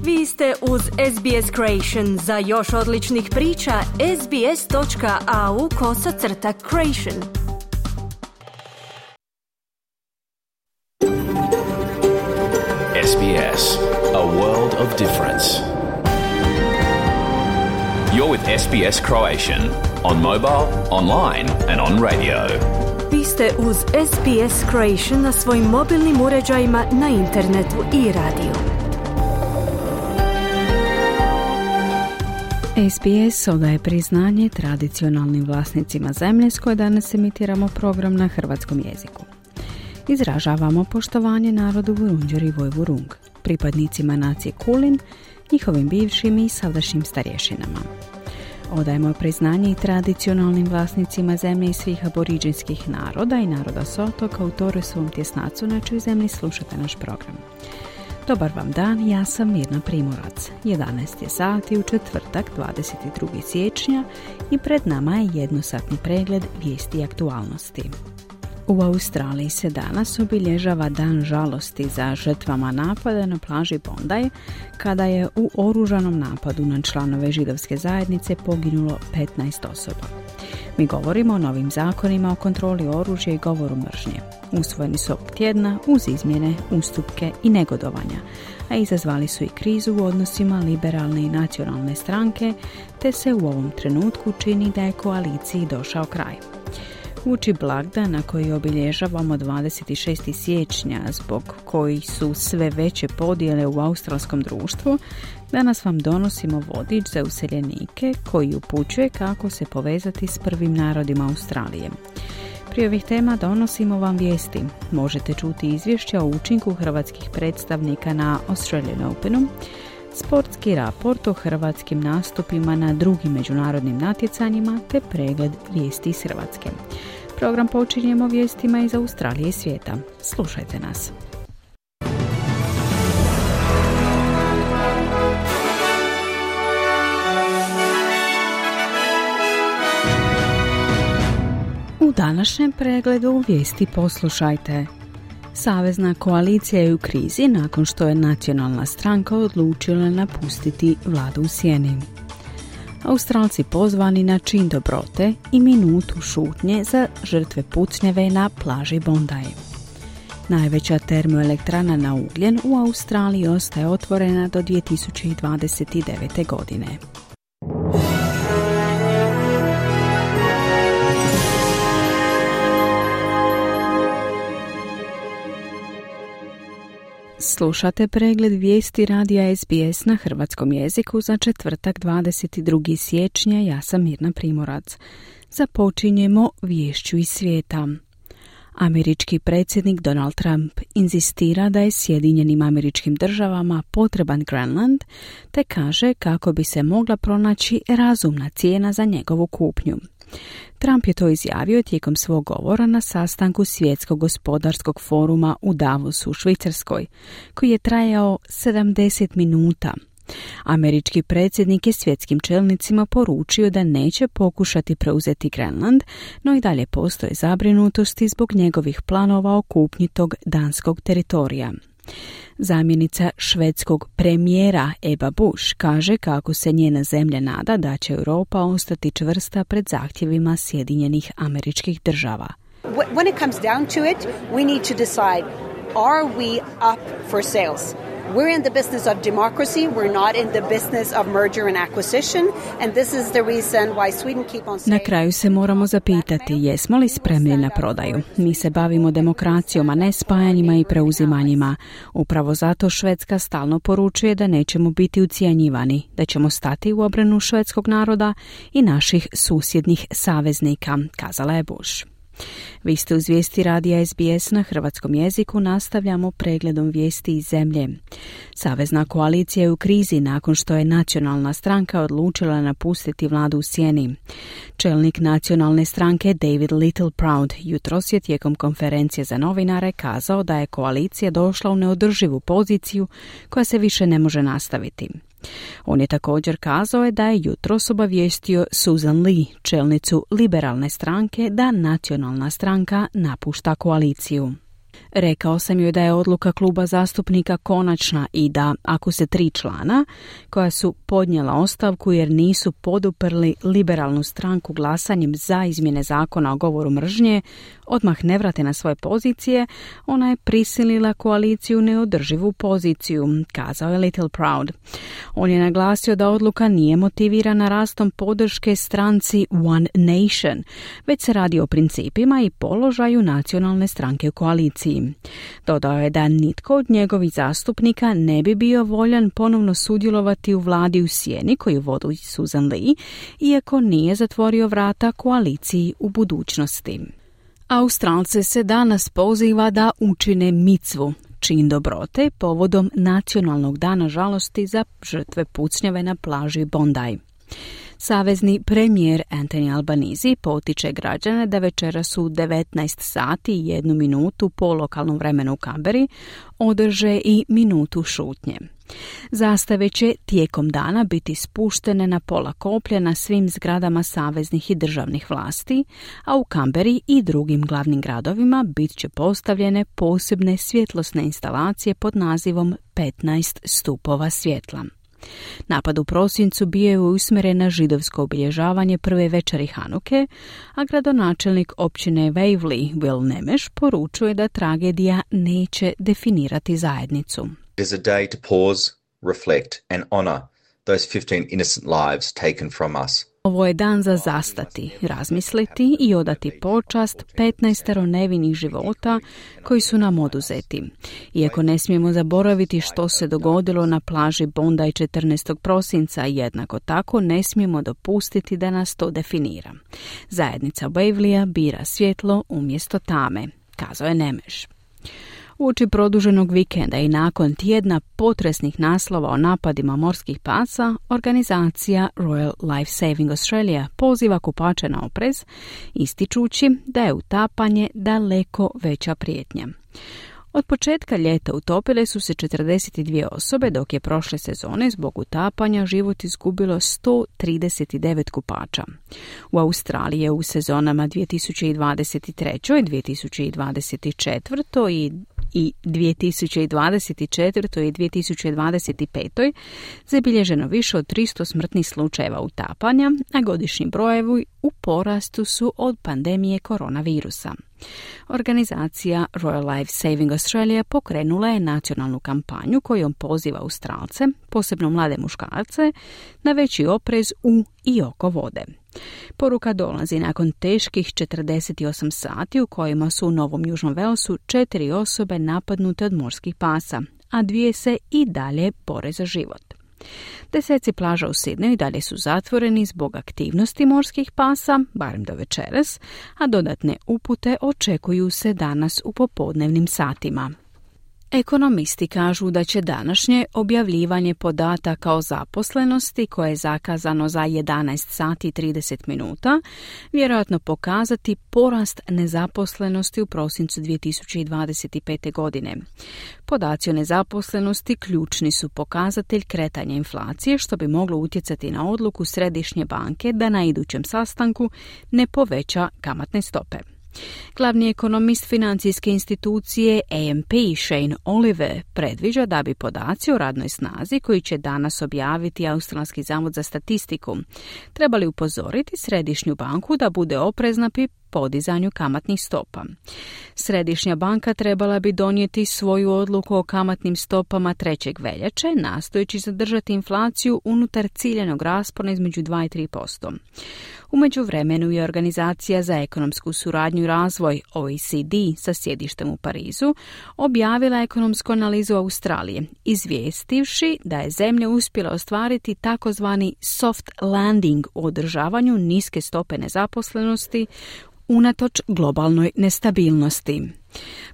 Vi ste uz SBS Creation. Za još odličnih priča, sbs.au/creation. SBS, a world of difference. You're with SBS Croatian on mobile, online and on radio. Vi ste uz SBS Creation na svojim mobilnim uređajima, na internetu i radiju. SBS odaje priznanje tradicionalnim vlasnicima zemlje s koje danas emitiramo program na hrvatskom jeziku. Izražavamo poštovanje narodu Vurundjeri i Vojvurung, pripadnicima nacije Kulin, njihovim bivšim i sadašnjim starješinama. Odajemo priznanje i tradicionalnim vlasnicima zemlje i svih aboriđinskih naroda i naroda s otoka u Torresovom tjesnacu na čijoj zemlji slušate naš program. Dobar vam dan, ja sam Mirna Primorac. 11 je sati u četvrtak, 22. siječnja i pred nama je jednosatni pregled vijesti i aktualnosti. U Australiji se danas obilježava dan žalosti za žrtvama napada na plaži Bondi, kada je u oružanom napadu na članove židovske zajednice poginulo 15 osoba. Mi govorimo o novim zakonima o kontroli oružja i govoru mržnje. Usvojeni su ovog tjedna uz izmjene, ustupke i negodovanja, a izazvali su i krizu u odnosima liberalne i nacionalne stranke, te se u ovom trenutku čini da je koaliciji došao kraj. Uoči blagdana koji obilježavamo 26. siječnja, zbog koji su sve veće podjele u australskom društvu, danas vam donosimo vodič za useljenike koji upućuje kako se povezati s prvim narodima Australije. Prije ovih tema donosimo vam vijesti. Možete čuti izvješća o učinku hrvatskih predstavnika na Australian Openu, sportski raport o hrvatskim nastupima na drugim međunarodnim natjecanjima te pregled vijesti iz Hrvatske. Program počinjemo vijestima iz Australije i svijeta. Slušajte nas. U današnjem pregledu vijesti poslušajte. Savezna koalicija je u krizi nakon što je nacionalna stranka odlučila napustiti vladu u sjeni. Australci pozvani na čin dobrote i minutu šutnje za žrtve pucnjave na plaži Bondi. Najveća termoelektrana na ugljen u Australiji ostaje otvorena do 2029. godine. Slušate pregled vijesti radija SBS na hrvatskom jeziku za četvrtak 22. siječnja. Ja sam Mirna Primorac. Započinjemo viješću iz svijeta. Američki predsjednik Donald Trump inzistira da je Sjedinjenim Američkim Državama potreban Grenland, te kaže kako bi se mogla pronaći razumna cijena za njegovu kupnju. Trump je to izjavio tijekom svog govora na sastanku Svjetskog gospodarskog foruma u Davosu u Švicarskoj, koji je trajao 70 minuta. Američki predsjednik je svjetskim čelnicima poručio da neće pokušati preuzeti Grenland, no i dalje postoje zabrinutosti zbog njegovih planova o kupnji tog danskog teritorija. Zamjenica švedskog premijera Ebba Busch kaže kako se njena zemlja nada da će Europa ostati čvrsta pred zahtjevima Sjedinjenih Američkih Država. When it comes down to it, we need to decide, are we up for sales? We're in the business of democracy. We're not in the business of merger and acquisition. And this is the reason why Sweden keep on saying... Na kraju se moramo zapitati jesmo li spremni na prodaju. Mi se bavimo demokracijom, a ne spajanjima i preuzimanjima. Upravo zato Švedska stalno poručuje da nećemo biti ucijenjivani, da ćemo stati u obranu švedskog naroda i naših susjednih saveznika, kazala je Bush. Vi ste uz vijesti radija SBS na hrvatskom jeziku, nastavljamo pregledom vijesti iz zemlje. Savezna koalicija je u krizi nakon što je nacionalna stranka odlučila napustiti vladu u sjeni. Čelnik nacionalne stranke David Littleproud jutros je tijekom konferencije za novinare kazao da je koalicija došla u neodrživu poziciju koja se više ne može nastaviti. On je također kazao da je jutros obavijestio Susan Lee, čelnicu liberalne stranke, da nacionalna stranka napušta koaliciju. Rekao sam joj da je odluka kluba zastupnika konačna i da, ako se 3 člana, koja su podnijela ostavku jer nisu poduprli liberalnu stranku glasanjem za izmjene zakona o govoru mržnje, odmah ne vrate na svoje pozicije, ona je prisilila koaliciju u neodrživu poziciju, kazao je Little Proud. On je naglasio da odluka nije motivirana rastom podrške stranci One Nation, već se radi o principima i položaju nacionalne stranke u koaliciji. Dodao je da nitko od njegovih zastupnika ne bi bio voljan ponovno sudjelovati u vladi u sjeni koju vodi Susan Lee, iako nije zatvorio vrata koaliciji u budućnosti. Australce se danas poziva da učine micvu, čin dobrote povodom Nacionalnog dana žalosti za žrtve pucnjave na plaži Bondi. Savezni premijer Anthony Albanese potiče građane da večeras u 19 sati i 1 minutu po lokalnom vremenu u Canberri održe i minutu šutnje. Zastave će tijekom dana biti spuštene na pola koplja na svim zgradama saveznih i državnih vlasti, a u Canberri i drugim glavnim gradovima bit će postavljene posebne svjetlosne instalacije pod nazivom 15 stupova svjetla. Napad u prosincu bio je usmjeren na židovsko obilježavanje prve večeri Hanuke, a gradonačelnik općine Waverley Will Nemeš poručuje da tragedija neće definirati zajednicu. It is a day to pause, reflect and honor those 15 innocent lives taken from us. Ovo je dan za zastati, razmisliti i odati počast 15 nevinih života koji su nam oduzeti. Iako ne smijemo zaboraviti što se dogodilo na plaži Bondi 14. prosinca, jednako tako ne smijemo dopustiti da nas to definira. Zajednica Waverleya bira svjetlo umjesto tame, kazao je Nemeš. Uoči produženog vikenda i nakon tjedna potresnih naslova o napadima morskih pasa, organizacija Royal Life Saving Australia poziva kupače na oprez, ističući da je utapanje daleko veća prijetnja. Od početka ljeta utopile su se 42 osobe, dok je prošle sezone zbog utapanja život izgubilo 139 kupača. U Australiji je u sezonama 2023. 2024. i 2024. i 2025. zabilježeno više od 300 smrtnih slučajeva utapanja, a godišnji brojevi u porastu su od pandemije koronavirusa. Organizacija Royal Life Saving Australia pokrenula je nacionalnu kampanju kojom poziva Australce, posebno mlade muškarce, na veći oprez u i oko vode. Poruka dolazi nakon teških 48 sati u kojima su u Novom Južnom Walesu 4 osobe napadnute od morskih pasa, a 2 se i dalje bore za život. Deseci plaža u Sidneju dalje su zatvoreni zbog aktivnosti morskih pasa, barem do večeras, a dodatne upute očekuju se danas u popodnevnim satima. Ekonomisti kažu da će današnje objavljivanje podataka o zaposlenosti, koje je zakazano za 11 sati i 30 minuta, vjerojatno pokazati porast nezaposlenosti u prosincu 2025. godine. Podaci o nezaposlenosti ključni su pokazatelj kretanja inflacije, što bi moglo utjecati na odluku Središnje banke da na idućem sastanku ne poveća kamatne stope. Glavni ekonomist financijske institucije AMP Shane Oliver predviđa da bi podaci o radnoj snazi koji će danas objaviti Australski zavod za statistiku trebali upozoriti Središnju banku da bude oprezna pri podizanju kamatnih stopa. Središnja banka trebala bi donijeti svoju odluku o kamatnim stopama 3. veljače, nastojeći zadržati inflaciju unutar ciljanog raspona između 2 i 3%. U međuvremenu je Organizacija za ekonomsku suradnju i razvoj OECD sa sjedištem u Parizu objavila ekonomsku analizu Australije, izvijestivši da je zemlja uspjela ostvariti takozvani soft landing u održavanju niske stope nezaposlenosti unatoč globalnoj nestabilnosti.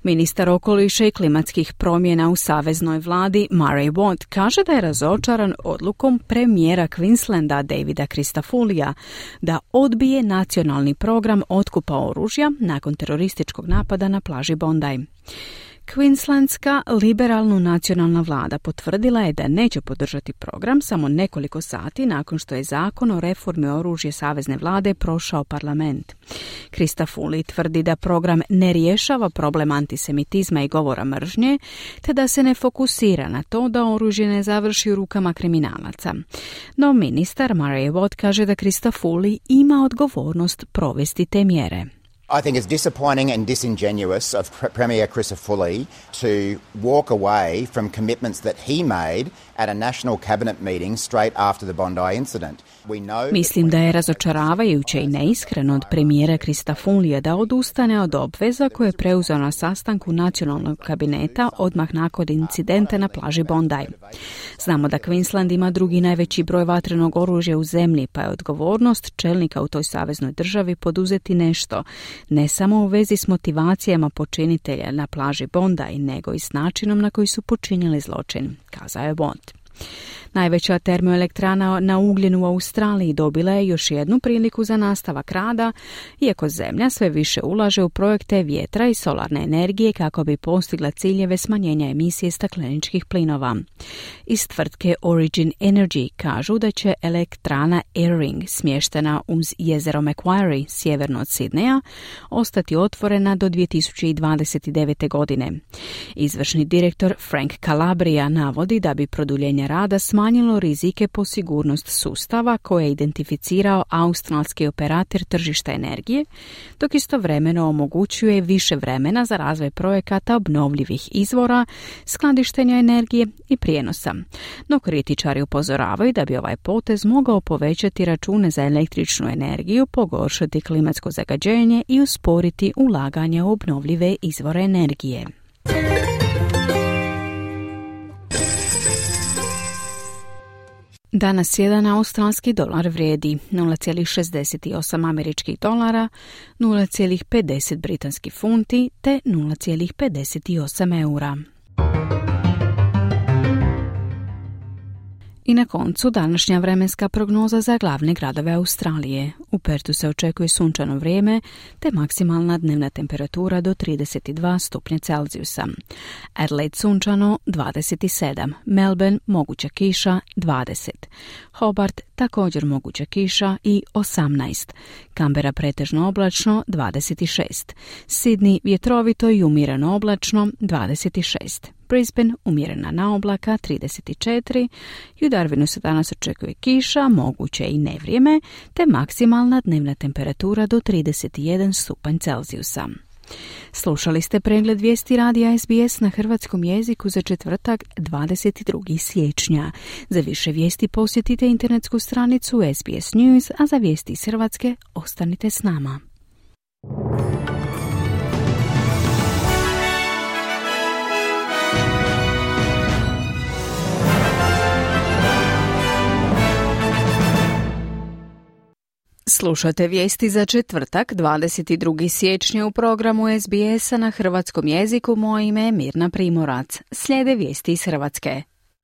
Ministar okoliša i klimatskih promjena u saveznoj vladi Murray Watt kaže da je razočaran odlukom premijera Queenslanda Davida Christofulija da odbije nacionalni program otkupa oružja nakon terorističkog napada na plaži Bondi. Queenslandska liberalno nacionalna vlada potvrdila je da neće podržati program samo nekoliko sati nakon što je zakon o reformi oružja savezne vlade prošao parlament. Krista Foley tvrdi da program ne rješava problem antisemitizma i govora mržnje, te da se ne fokusira na to da oružje ne završi u rukama kriminalaca. No ministar Murray Watt kaže da Krista Foley ima odgovornost provesti te mjere. I think it's disappointing and disingenuous of Premier Crisafulli to walk away from commitments that he made at a national cabinet meeting straight after the Bondi incident. Mislim da je razočaravajuće i neiskreno od premijera Cristofolija da odustane od obveza koje je preuzeo na sastanku nacionalnog kabineta odmah nakon incidenta na plaži Bondi. Znamo da Queensland ima drugi najveći broj vatrenog oružja u zemlji, pa je odgovornost čelnika u toj saveznoj državi poduzeti nešto, ne samo u vezi s motivacijama počinitelja na plaži Bondi, nego i s načinom na koji su počinili zločin, kazao je Watt. Najveća termoelektrana na ugljen u Australiji dobila je još jednu priliku za nastavak rada, iako zemlja sve više ulaže u projekte vjetra i solarne energije kako bi postigla ciljeve smanjenja emisije stakleničkih plinova. Iz tvrtke Origin Energy kažu da će elektrana Eyring, smještena uz jezero Macquarie, sjeverno od Sidneja, ostati otvorena do 2029. godine. Izvršni direktor Frank Calabria navodi da bi produljenje rada smanjilo rizike po sigurnost sustava koje je identificirao australski operator tržišta energije, dok istovremeno omogućuje više vremena za razvoj projekata obnovljivih izvora, skladištenja energije i prijenosa. No kritičari upozoravaju da bi ovaj potez mogao povećati račune za električnu energiju, pogoršati klimatsko zagađenje i usporiti ulaganje u obnovljive izvore energije. Danas jedan australski dolar vrijedi 0,68 američkih dolara, 0,50 britanskih funti te 0,58 eura. I na koncu današnja vremenska prognoza za glavne gradove Australije. U Pertu se očekuje sunčano vrijeme te maksimalna dnevna temperatura do 32 stupnja Celzijusa. Adelaide sunčano 27, Melbourne moguća kiša 20, Hobart također moguća kiša i 18, Canberra pretežno oblačno 26, Sydney vjetrovito i umjereno oblačno 26, Brisbane umjerena na oblaka 34 i u Darwinu se danas očekuje kiša, moguće i nevrijeme, te maksimalna dnevna temperatura do 31 stupanj Celzijusa. Slušali ste pregled vijesti radija SBS na hrvatskom jeziku za četvrtak 22. siječnja. Za više vijesti posjetite internetsku stranicu SBS News, a za vijesti iz Hrvatske ostanite s nama. Slušate vijesti za četvrtak, 22. siječnja u programu SBS-a na hrvatskom jeziku. Moje ime je Mirna Primorac. Slijede vijesti iz Hrvatske.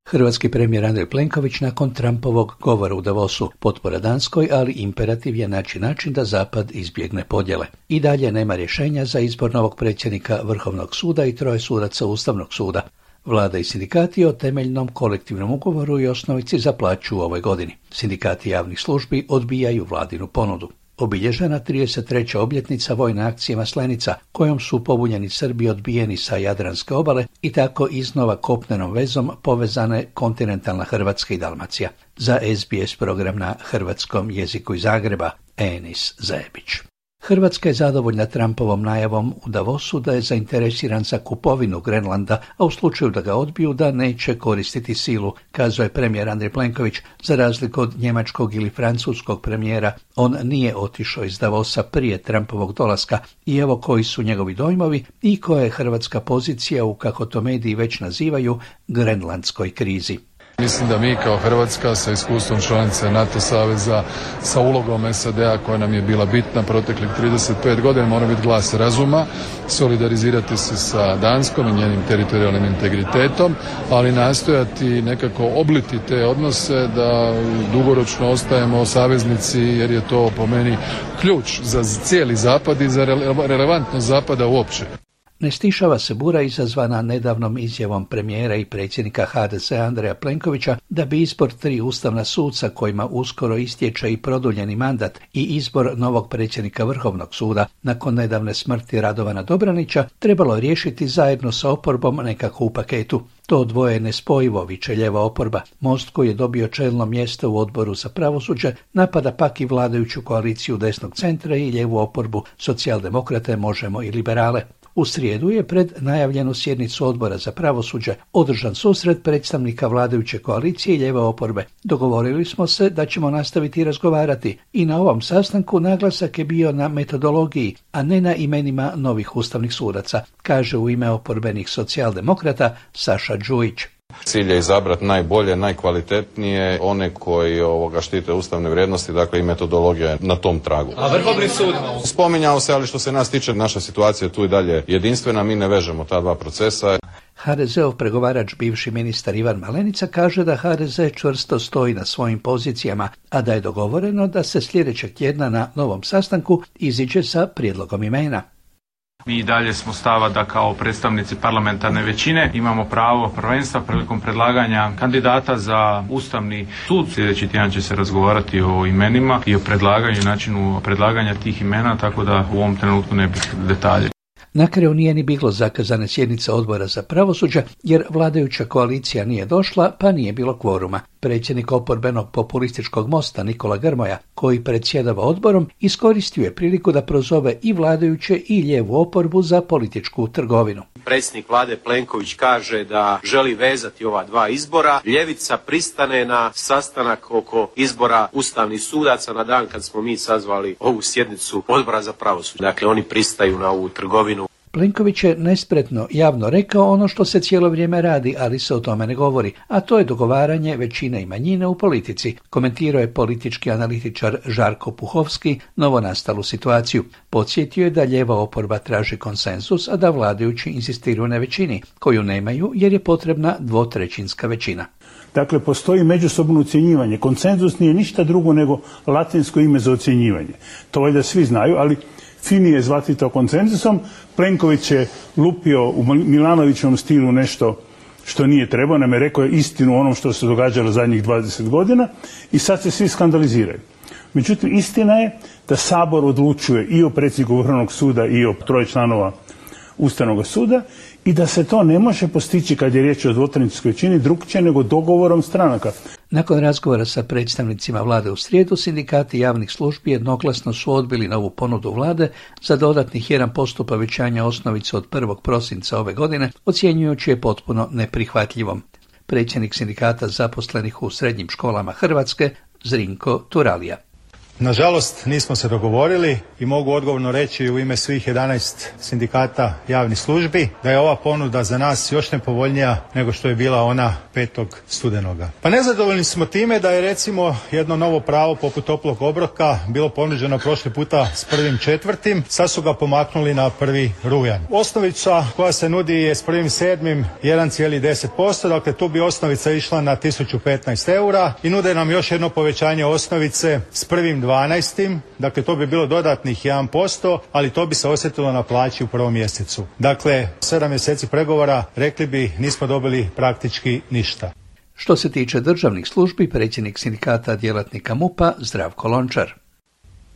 Hrvatski premijer Andrej Plenković nakon Trumpovog govora u Davosu potpora Danskoj, ali imperativ je naći način da Zapad izbjegne podjele. I dalje nema rješenja za izbor novog predsjednika Vrhovnog suda i 3 sudaca Ustavnog suda. Vlada i sindikati o temeljnom kolektivnom ugovoru i osnovici za plaću u ovoj godini. Sindikati javnih službi odbijaju vladinu ponudu. Obilježena 33. obljetnica vojne akcije Maslenica, kojom su pobunjeni Srbi odbijeni sa Jadranske obale i tako iznova kopnenom vezom povezane kontinentalna Hrvatska i Dalmacija. Za SBS program na hrvatskom jeziku iz Zagreba, Enis Zebić. Hrvatska je zadovoljna Trumpovom najavom u Davosu da je zainteresiran za kupovinu Grenlanda, a u slučaju da ga odbiju da neće koristiti silu, kazao je premijer Andrej Plenković. Za razliku od njemačkog ili francuskog premijera, on nije otišao iz Davosa prije Trumpovog dolaska i evo koji su njegovi dojmovi i koja je hrvatska pozicija u, kako to mediji već nazivaju, grenlandskoj krizi. Mislim da mi kao Hrvatska sa iskustvom članice NATO saveza, sa ulogom SAD-a koja nam je bila bitna proteklih 35 godina, mora biti glas razuma, solidarizirati se sa Danskom i njenim teritorijalnim integritetom, ali nastojati nekako obliti te odnose da dugoročno ostajemo saveznici, jer je to po meni ključ za cijeli Zapad i za relevantnost Zapada uopće. Ne stišava se bura izazvana nedavnom izjavom premijera i predsjednika HDZ Andreja Plenkovića da bi izbor 3 ustavna suca kojima uskoro istječe i produljeni mandat i izbor novog predsjednika Vrhovnog suda nakon nedavne smrti Radovana Dobranića trebalo riješiti zajedno sa oporbom nekako u paketu. To dvoje je nespojivo, viče lijeva oporba. Most koji je dobio čelno mjesto u odboru za pravosuđe napada pak i vladajuću koaliciju desnog centra i lijevu oporbu, socijaldemokrate, Možemo i liberale. U srijedu je pred najavljenu sjednicu odbora za pravosuđe održan susret predstavnika vladajuće koalicije i lijeve oporbe. Dogovorili smo se da ćemo nastaviti razgovarati i na ovom sastanku naglasak je bio na metodologiji, a ne na imenima novih ustavnih sudaca, kaže u ime oporbenih socijaldemokrata Saša Đujić. Cilj je izabrati najbolje, najkvalitetnije, one koji štite ustavne vrijednosti, dakle i metodologija je na tom tragu. A Vrhovni sud? Spominjao se, ali što se nas tiče, naša situacija tu i dalje jedinstvena, mi ne vežemo ta dva procesa. HDZ-ov pregovarač, bivši ministar Ivan Malenica, kaže da HDZ čvrsto stoji na svojim pozicijama, a da je dogovoreno da se sljedećeg tjedna na novom sastanku iziđe sa prijedlogom imena. Mi i dalje smo stava da kao predstavnici parlamentarne većine imamo pravo prvenstva prilikom predlaganja kandidata za Ustavni sud. Sljedeći tjedan će se razgovarati o imenima i o predlaganju, načinu predlaganja tih imena, tako da u ovom trenutku ne bih detalje. Na kraju nije ni bilo zakazane sjednice odbora za pravosuđe, jer vladajuća koalicija nije došla, pa nije bilo kvoruma. Predsjednik oporbenog populističkog Mosta Nikola Grmoja, koji predsjedava odborom, iskoristio je priliku da prozove i vladajuće i lijevu oporbu za političku trgovinu. Predsjednik vlade Plenković kaže da želi vezati ova dva izbora. Ljevica pristane na sastanak oko izbora ustavnih sudaca na dan kad smo mi sazvali ovu sjednicu odbora za pravosuđe. Dakle, oni pristaju na ovu trgovinu. Plenković je nespretno javno rekao ono što se cijelo vrijeme radi, ali se o tome ne govori, a to je dogovaranje većine i manjine u politici, komentirao je politički analitičar Žarko Puhovski novonastalu situaciju. Podsjetio je da lijeva oporba traži konsenzus, a da vladajući insistiraju na većini, koju nemaju jer je potrebna 2/3 većina. Dakle, postoji međusobno ocjenjivanje. Konsenzus nije ništa drugo nego latinsko ime za ocjenjivanje. To valjda svi znaju, ali fini je zvati to konsenzusom. Plenković je lupio u Milanovićevom stilu nešto što nije trebao, nam je rekao istinu o onom što se događalo zadnjih 20 godina i sad se svi skandaliziraju. Međutim, istina je da Sabor odlučuje i o predsjedniku Vrhovnog suda i o 3 članova Ustavnog suda i da se to ne može postići kad je riječ o 2/3 većini drukčije nego dogovorom stranaka. Nakon razgovora sa predstavnicima vlade u srijedu, sindikati javnih službi jednoglasno su odbili novu ponudu vlade za dodatnih 1% povećanja osnovice od 1. prosinca ove godine, ocjenjujući je potpuno neprihvatljivom. Predsjednik sindikata zaposlenih u srednjim školama Hrvatske, Zrinko Turalija. Nažalost, nismo se dogovorili i mogu odgovorno reći u ime svih 11 sindikata javnih službi da je ova ponuda za nas još nepovoljnija nego što je bila ona 5. studenoga. Pa nezadovoljni smo time da je recimo jedno novo pravo poput toplog obroka bilo ponuđeno prošli puta s 1.4. Sad su ga pomaknuli na 1. rujan. Osnovica koja se nudi je s 1.7. 1,10%, dakle tu bi osnovica išla na 1015 eura i nude nam još jedno povećanje osnovice s 1.12. Dakle, to bi bilo dodatnih 1%, ali to bi se osjetilo na plaći u 1. mjesecu. Dakle, 7 mjeseci pregovora, rekli bi, nismo dobili praktički ništa. Što se tiče državnih službi, predsjednik sindikata djelatnika MUP-a Zdravko Lončar.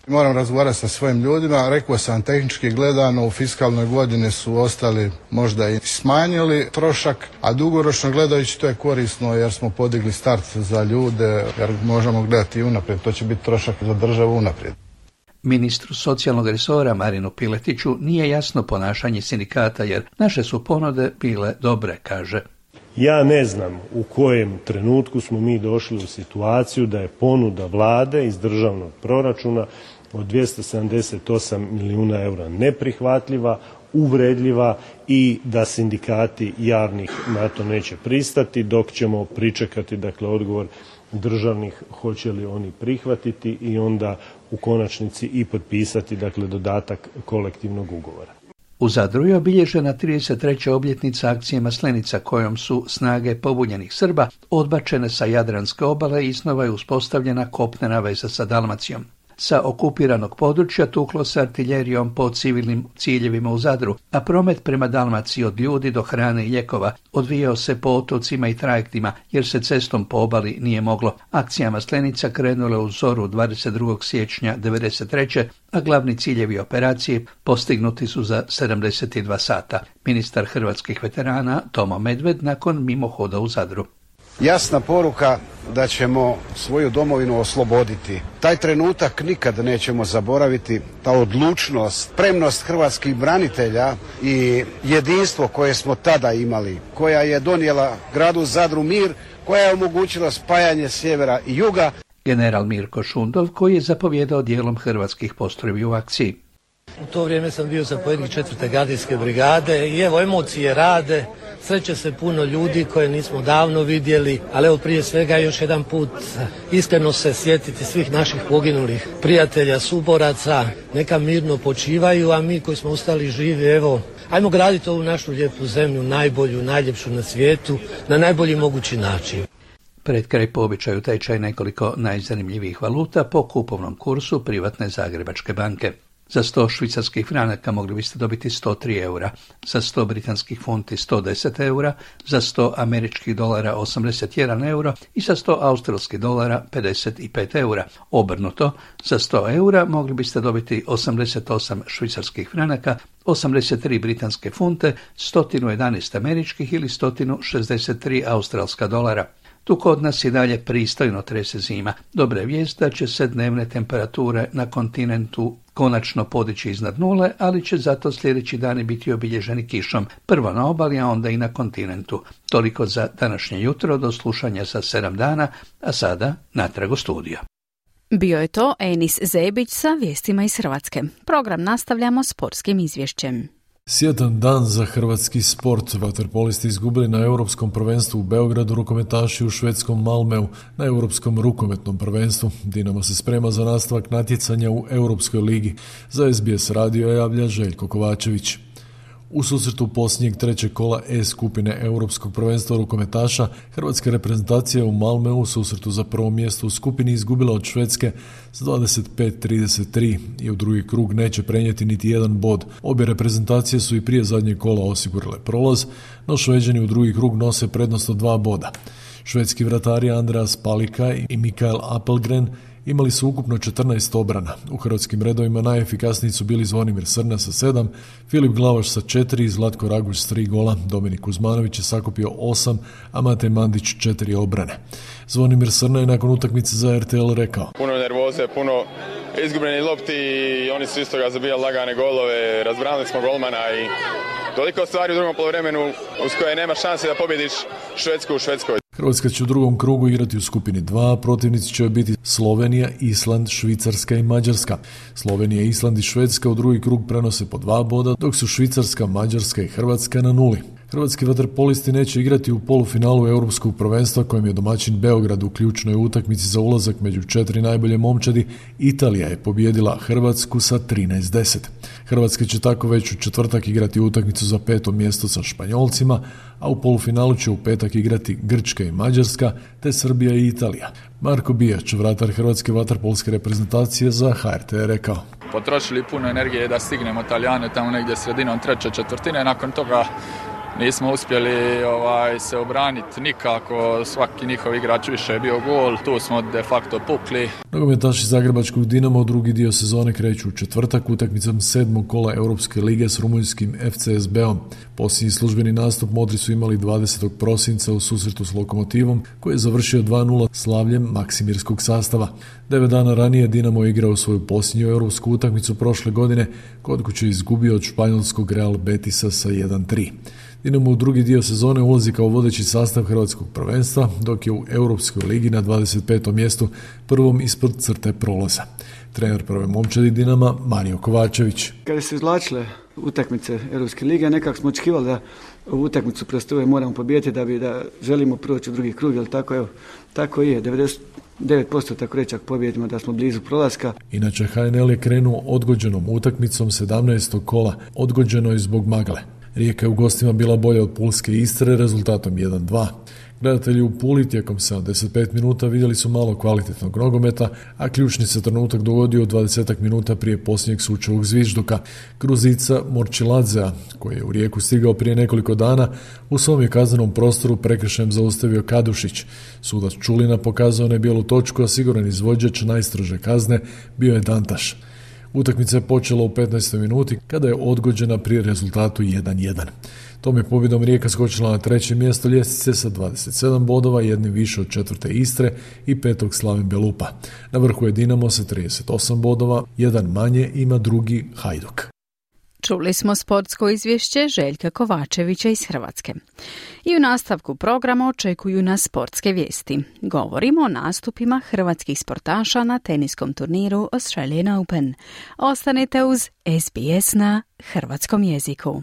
Moram razgovarati sa svojim ljudima, rekao sam tehnički gledano u fiskalnoj godini su ostali možda i smanjili trošak, a dugoročno gledajući to je korisno jer smo podigli start za ljude, jer možemo gledati i unaprijed, to će biti trošak za državu unaprijed. Ministru socijalnog resora Marinu Piletiću nije jasno ponašanje sindikata jer naše su ponude bile dobre, kaže. Ja ne znam u kojem trenutku smo mi došli u situaciju da je ponuda vlade iz državnog proračuna od 278 milijuna eura neprihvatljiva, uvredljiva i da sindikati javnih na to neće pristati dok ćemo pričekati odgovor državnih hoće li oni prihvatiti i onda u konačnici i potpisati dodatak kolektivnog ugovora. U Zadru je obilježena 33. obljetnica akcije Maslenica kojom su snage pobunjenih Srba odbačene sa Jadranske obale i iznova je uspostavljena kopnena veza sa Dalmacijom. sa okupiranog područja tuklo s artiljerijom po civilnim ciljevima u Zadru, a promet prema Dalmaciji od ljudi do hrane i lijekova odvijao se po otocima i trajektima, jer se cestom po obali nije moglo. Akcija Maslenica krenula u zoru 22. siječnja 1993. a glavni ciljevi operacije postignuti su za 72 sata. Ministar hrvatskih veterana Tomo Medved nakon mimohoda u Zadru. Jasna poruka da ćemo svoju domovinu osloboditi. Taj trenutak nikad nećemo zaboraviti, ta odlučnost, spremnost hrvatskih branitelja i jedinstvo koje smo tada imali, koja je donijela gradu Zadru mir, koja je omogućila spajanje sjevera i juga. General Mirko Šundov, koji je zapovjedao dijelom hrvatskih postrojbi u akciji. U to vrijeme sam bio zapovjednik 4. gardijske brigade i evo emocije rade, sreće se puno ljudi koje nismo davno vidjeli, ali evo prije svega još jedan put iskreno se sjetiti svih naših poginulih prijatelja, suboraca, neka mirno počivaju, a mi koji smo ostali živi, evo, ajmo graditi ovu našu lijepu zemlju, najbolju, najljepšu na svijetu, na najbolji mogući način. Pred kraj po običaju tečaj nekoliko najzanimljivijih valuta po kupovnom kursu privatne Zagrebačke banke. Za 100 švicarskih franaka mogli biste dobiti 103 eura, za 100 britanskih funti 110 eura, za 100 američkih dolara 81 euro i za 100 australskih dolara 55 eura. Obrnuto, za 100 eura mogli biste dobiti 88 švicarskih franaka, 83 britanske funte, 111 američkih ili 163 australska dolara. Tu kod nas i dalje pristojno trese zima. Dobra je vijest da će se dnevne temperature na kontinentu konačno podići iznad nule, ali će zato sljedeći dani biti obilježeni kišom, prvo na obali, a onda i na kontinentu. Toliko za današnje jutro, do slušanja za 7 dana, a sada natrag u studio. Bio je to Enis Zebić sa vijestima iz Hrvatske. Program nastavljamo sportskim izvješćem. Sjetan dan za hrvatski sport. Vaterpolisti izgubili na Europskom prvenstvu u Beogradu, rukometaši u švedskom Malmeu na Europskom rukometnom prvenstvu. Dinamo se sprema za nastavak natjecanja u Europskoj ligi. Za SBS radio javlja Željko Kovačević. U susretu posljednjeg trećeg kola E skupine Europskog prvenstva rukometaša, hrvatska reprezentacija u Malmeu u susretu za prvo mjesto u skupini izgubila od Švedske s 25-33 i u drugi krug neće prenijeti niti jedan bod. Obje reprezentacije su i prije zadnjeg kola osigurale prolaz, no Šveđani u drugi krug nose prednost od 2 boda. Švedski vratari Andreas Palika i Mikael Appelgren imali su ukupno 14 obrana. U hrvatskim redovima najefikasniji su bili Zvonimir Srna sa 7, Filip Glavaš sa 4 i Zlatko Raguž s 3 gola. Dominik Kuzmanović je sakupio 8, a Matej Mandić 4 obrane. Zvonimir Srna je nakon utakmice za RTL rekao: puno nervoze, puno izgubljenih lopti i oni su isto ga zabijali lagane golove, razbranili smo golmana i toliko stvari u drugom poluvremenu uz koje nema šanse da pobjediš Švedsku u Švedskoj. Hrvatska će u drugom krugu igrati u skupini 2, protivnici će biti Slovenija, Island, Švicarska i Mađarska. Slovenija, Island i Švedska u drugi krug prenose po 2 boda, dok su Švicarska, Mađarska i Hrvatska na 0. Hrvatski vaterpolisti neće igrati u polufinalu Europskog prvenstva kojem je domaćin Beograd u ključnoj utakmici za ulazak među 4 najbolje momčadi. Italija je pobijedila Hrvatsku sa 13-10. Hrvatska će tako već u četvrtak igrati utakmicu za 5. mjesto sa Španjolcima, a u polufinalu će u petak igrati Grčka i Mađarska, te Srbija i Italija. Marko Bijač, vratar hrvatske vaterpolske reprezentacije, za HRT je rekao: potrošili puno energije da stignemo Talijane tamo negdje sredinom treće četvrtine, nakon toga nismo uspjeli se obraniti nikako, svaki njihov igrač više je bio gol, tu smo de facto pukli. Nogometaši zagrebačkog Dinama u drugi dio sezone kreću u četvrtak utakmicom 7. kola Europske lige s rumunjskim FCSB-om. Posljednji službeni nastup modri su imali 20. prosinca u susretu s Lokomotivom, koji je završio 2-0 slavljem maksimirskog sastava. 9 dana ranije Dinamo je igrao svoju posljednju europsku utakmicu prošle godine, kod kuće izgubio od španjolskog Real Betisa sa 1-3. Dinamo u drugi dio sezone ulazi kao vodeći sastav hrvatskog prvenstva, dok je u Europskoj ligi na 25. mjestu, prvom ispod crte prolaza. Trener prve momčadi Dinama Mario Kovačević. Kada se izvlačile utakmice Europske lige, nekako smo očekivali da u utakmicu prostoje moramo pobijediti da želimo proći u drugi krug, jer tako je, 99% tako reći ako pobijedimo da smo blizu prolaska. Inače HNL je krenuo odgođenom utakmicom 17. kola, odgođeno je zbog magle. Rijeka je u gostima bila bolja od Pulske Istre rezultatom 1-2. Gledatelji u Puli tijekom 75 minuta vidjeli su malo kvalitetnog nogometa, a ključni se trenutak dogodio 20 minuta prije posljednjeg sučevog zvižduka. Gruzica Morčiladzea, koji je u Rijeku stigao prije nekoliko dana, u svom je kaznenom prostoru prekršajem zaustavio Kadušić. Sudac Čulina pokazao je bijelu točku, a siguran izvođač najstrože kazne bio je Dantaš. Utakmica je počela u 15. minuti kada je odgođena pri rezultatu 1-1. Tom je pobjedom Rijeka skočila na 3. mjesto ljestvice sa 27 bodova, jednim više od 4. Istre i 5. Slaven Belupa. Na vrhu je Dinamo sa 38 bodova, jedan manje ima drugi Hajduk. Čuli smo sportsko izvješće Željka Kovačevića iz Hrvatske. I u nastavku programa očekuju nas sportske vijesti. Govorimo o nastupima hrvatskih sportaša na teniskom turniru Australian Open. Ostanite uz SBS na hrvatskom jeziku.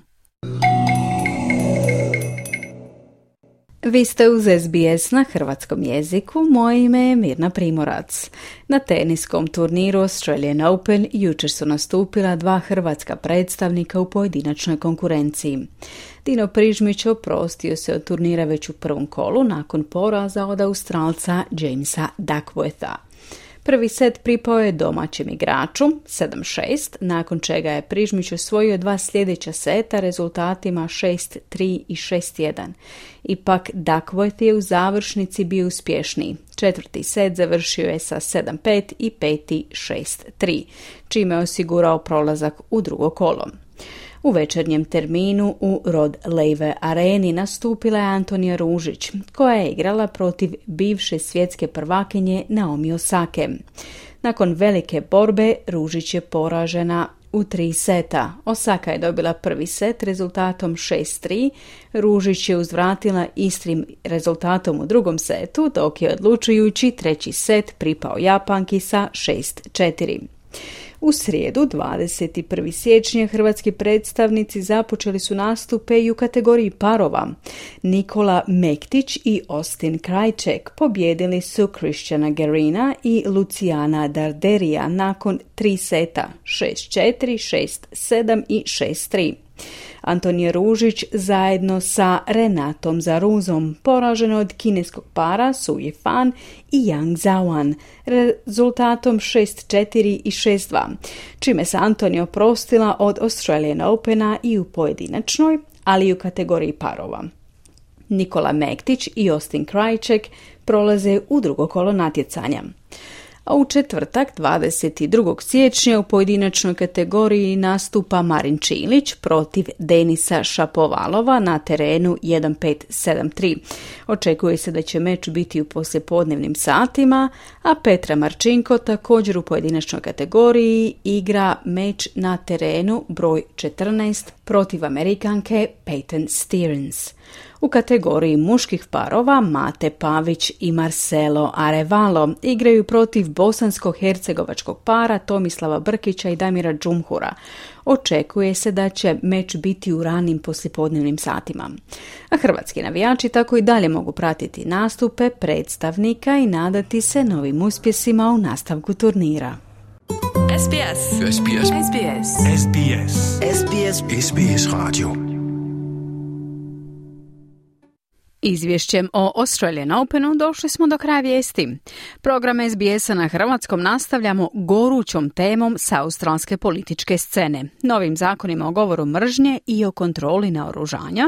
Vi ste uz SBS na hrvatskom jeziku, moje ime je Mirna Primorac. Na teniskom turniru Australian Open jučer su nastupila 2 hrvatska predstavnika u pojedinačnoj konkurenciji. Dino Prižmić oprostio se od turnira već u prvom kolu nakon poraza od Australca Jamesa Duckwortha. Prvi set pripao je domaćem igraču 7-6, nakon čega je Prižmić osvojio 2 sljedeća seta rezultatima 6-3 i 6-1. Ipak Duckworth je u završnici bio uspješniji. 4. set završio je sa 7-5 i 5. 6-3, čime je osigurao prolazak u drugo kolo. U večernjem terminu u Rod Laver areni nastupila je Antonija Ružić, koja je igrala protiv bivše svjetske prvakinje Naomi Osake. Nakon velike borbe Ružić je poražena u 3 seta. Osaka je dobila prvi set rezultatom 6-3, Ružić je uzvratila istim rezultatom u drugom setu, dok je odlučujući treći set pripao Japanki sa 6-4. U srijedu, 21. siječnja, hrvatski predstavnici započeli su nastupe i u kategoriji parova. Nikola Mektić i Austin Krajček pobijedili su Christiana Gerina i Luciana Darderija nakon 3 seta 6-4, 6-7 i 6-3. Antonija Ružić zajedno sa Renatom Zaruzom poražena od kineskog para Su Yifan i Yang Zhaoan rezultatom 6-4 i 6-2, čime se Antonija oprostila od Australian Opena i u pojedinačnoj, ali i u kategoriji parova. Nikola Mektić i Austin Krajček prolaze u drugo kolo natjecanja. A u četvrtak, 22. siječnja, u pojedinačnoj kategoriji nastupa Marin Čilić protiv Denisa Šapovalova na terenu 1-5-7-3. Očekuje se da će meč biti u poslijepodnevnim satima, a Petra Marčinko također u pojedinačnoj kategoriji igra meč na terenu broj 14 protiv Amerikanke Peyton Stearns. U kategoriji muških parova Mate Pavić i Marcelo Arevalo igraju protiv bosansko-hercegovačkog para Tomislava Brkića i Damira Džumhura. Očekuje se da će meč biti u ranim poslijepodnevnim satima. A hrvatski navijači tako i dalje mogu pratiti nastupe predstavnika i nadati se novim uspjesima u nastavku turnira. SBS. SBS. SBS. SBS. SBS. SBS Radio. Izvješćem o Australian Openu došli smo do kraja vijesti. Program SBS-a na hrvatskom nastavljamo gorućom temom sa australske političke scene, novim zakonima o govoru mržnje i o kontroli naoružanja,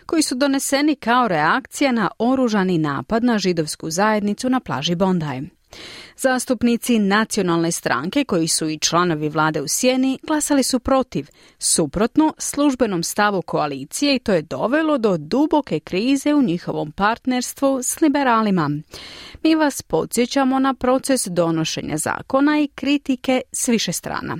koji su doneseni kao reakcija na oružani napad na židovsku zajednicu na plaži Bondi. Zastupnici nacionalne stranke, koji su i članovi vlade u sjeni, glasali su protiv, suprotno službenom stavu koalicije, i to je dovelo do duboke krize u njihovom partnerstvu s liberalima. Mi vas podsjećamo na proces donošenja zakona i kritike s više strana.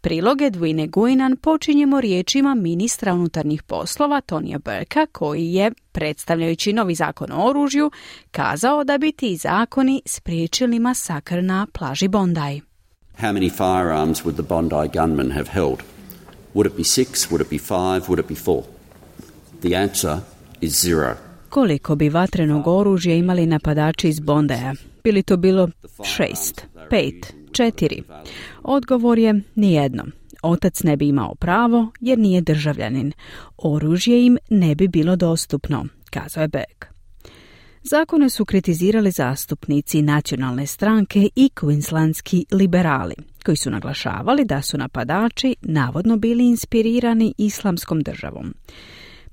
Priloge Edwine Guinan počinjemo riječima ministra unutarnjih poslova Tonija Burkea, koji je, predstavljajući novi zakon o oružju, kazao da bi ti zakoni spriječili masakr na plaži Bondi. How many firearms would the Bondi gunmen have held? Would it be 6? Would it be 5? Would it be 4? The answer is 0. Koliko bi vatrenog oružja imali napadači iz Bondeja? Bili to bilo 6, 5, 4? Odgovor je nijedno. Otac ne bi imao pravo jer nije državljanin. Oružje im ne bi bilo dostupno, kazao je Beck. Zakone su kritizirali zastupnici nacionalne stranke i queenslandski liberali, koji su naglašavali da su napadači navodno bili inspirirani islamskom državom.